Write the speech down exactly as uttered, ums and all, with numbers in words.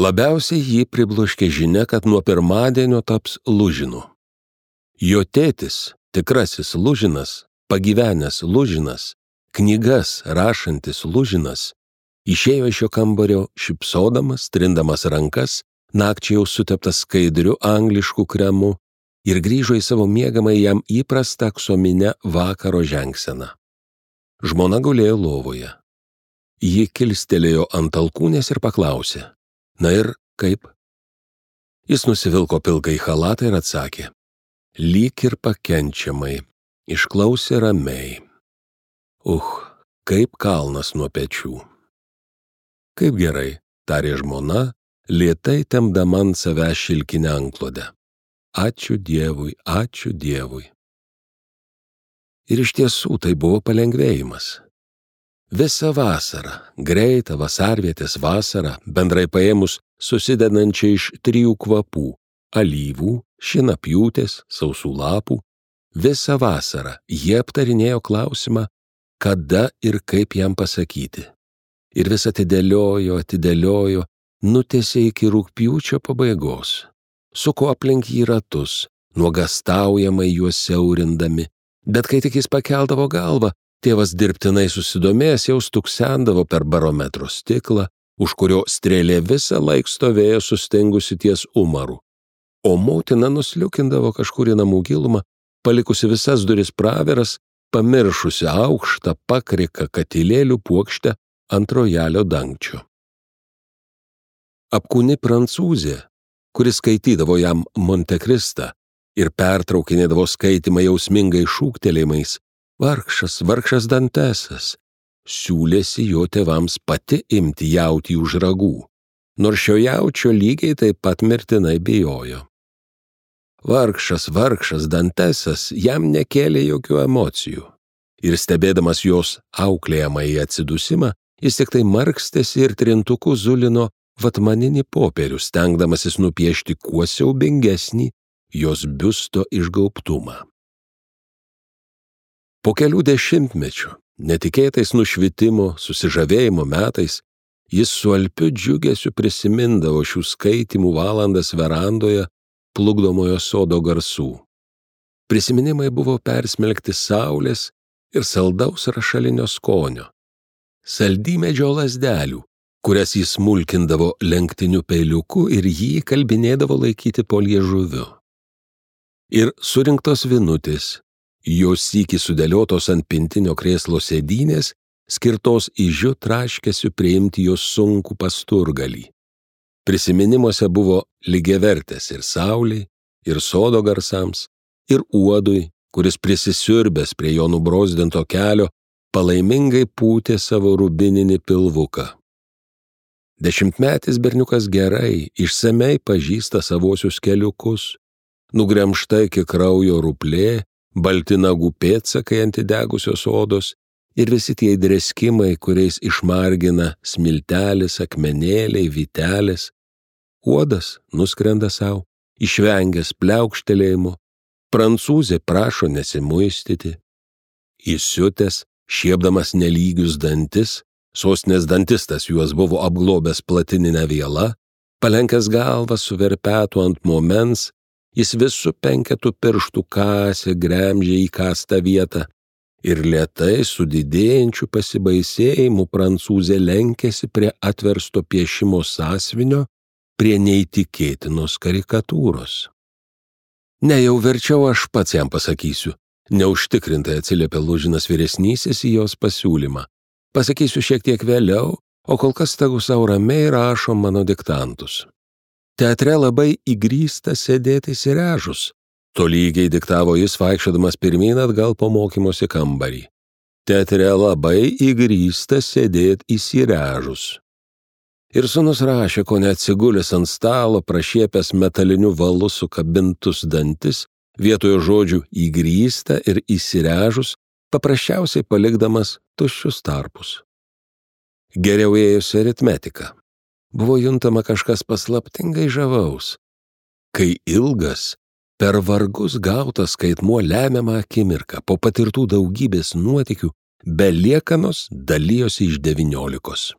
Labiausiai jį pribloškė žinia, kad nuo pirmadienio taps Lužinu. Jo tėtis, tikrasis Lužinas, pagyvenęs Lužinas, knygas rašantis Lužinas, išėjo iš jo kambario šypsodamas, trindamas rankas, nakčiai jau suteptas skaidriu anglišku kremu ir grįžo į savo miegamą jam įprastą aksominę vakaro žengseną. Žmona gulėjo lovoje. Ji kilstelėjo ant alkūnės ir paklausė: na ir kaip? Jis nusivilko pilkai chalatą ir atsakė: lyg ir pakenčiamai, išklausė ramiai. Uh, kaip kalnas nuo pečių. Kaip gerai, tarė žmona, lėtai tempdama ant savęs šilkinę antklodę. Ačiū Dievui, ačiū Dievui. Ir iš tiesų tai buvo palengvėjimas. Visą vasarą, greitą vasarvietės vasarą, bendrai paėmus susidedančią iš trijų kvapų – alyvų, šinapjūtės, sausų lapų, visą vasarą jie aptarinėjo klausimą, kada ir kaip jam pasakyti. Ir vis atidėliojo, atidėliojo, nutėsė iki rugpjūčio pabaigos. Suko aplink jį ratus, nuogastaujamai juos siaurindami, bet kai tik jis pakeldavo galvą, tėvas dirbtinai susidomėjęs jau stuksendavo per barometro stiklą, už kurio strėlė visą laik stovėjo sustingusi ties umaru, o motina nusliukindavo kažkur į namų gilumą, palikusi visas duris praveras, pamiršusi aukštą pakriką katilėlių puokštę ant rojalio dangčio. Apkūni prancūzė, kuris skaitydavo jam Montekristą ir pertraukinėdavo skaitimą jausmingai šūktelėjimais, vargšas, vargšas Dantesas, siūlėsi jo tėvams pati imti jautį už ragų, nors šio jaučio lygiai taip pat mirtinai bijojo. Vargšas, vargšas Dantesas jam nekėlė jokių emocijų ir stebėdamas jos auklėjamąjį atsidusimą, jis tik tai markstėsi ir trintuku zulino vatmaninį popierių, stengdamasis nupiešti kuo siaubingesnį jos biusto išgaubtumą. Po kelių dešimtmečių, netikėtais nušvitimo, susižavėjimo metais, jis su alpiu džiugesiu prisimindavo šių skaitymų valandas verandoje plukdomojo sodo garsų. Prisiminimai buvo persmelkti saulės ir saldaus rašalinio skonio, saldymedžio lazdelių, kurias jis smulkindavo lenktiniu peiliuku ir jį kalbinėdavo laikyti po liežuviu. Ir surinktos vinutės, jos sykį sudėliotos ant pintinio krėslo sėdynės, skirtos ižiu traškesiu priimti jos sunkų pasturgalį. Prisiminimuose buvo lygiavertės ir saulei, ir sodo garsams, ir uodui, kuris prisisiurbęs prie jo nubrozdinto kelio, palaimingai pūtė savo rubininį pilvuką. Dešimtmetis berniukas gerai, išsamei pažįsta savosius keliukus, nugremžta iki kraujo ruplė, balti nagų pėdsakai ant įdegusios odos ir visi tie dreskimai, kuriais išmargina smiltelis, akmenėliai, vytelės. Uodas nuskrenda savo, išvengęs pliaukštelėjimo, prancūzė prašo nesimuistyti. Įsiutęs, šiepdamas nelygius dantis, sostinės dantistas juos buvo apglobęs platininę vielą, palenkęs galvą su verpetu ant momens, jis visų penketų pirštų kasė gremžė į kastą vietą ir lėtai su didėjančiu pasibaisėjimu prancūzė lenkėsi prie atversto piešimo sąsvinio, prie neįtikėtinos karikatūros. Ne, jau verčiau aš pats jam pasakysiu, neužtikrintai atsiliepė Lužinas vyresnysis į jos pasiūlymą. Pasakysiu šiek tiek vėliau, o kol kas tegu sau ramiai rašo mano diktantus. Teatre labai įgrįsta sėdėti įsirežus. Tolygiai diktavo jis, vaikščiodamas pirmyn atgal po mokymosi kambarį. Teatre labai įgrįsta sėdėti įsirežus. Ir sūnus rašė, ko neatsigulęs ant stalo, prašiepęs metaliniu valu sukabintus dantis, vietoje žodžių įgrįsta ir įsirežus, paprasčiausiai palikdamas tuščius tarpus. Geriau ėjusi aritmetika. Buvo juntama kažkas paslaptingai žavaus, kai ilgas, per vargus gautas skaitmuo lemiamą akimirką po patirtų daugybės nuotykių be liekanos dalijosi iš devyniolikos.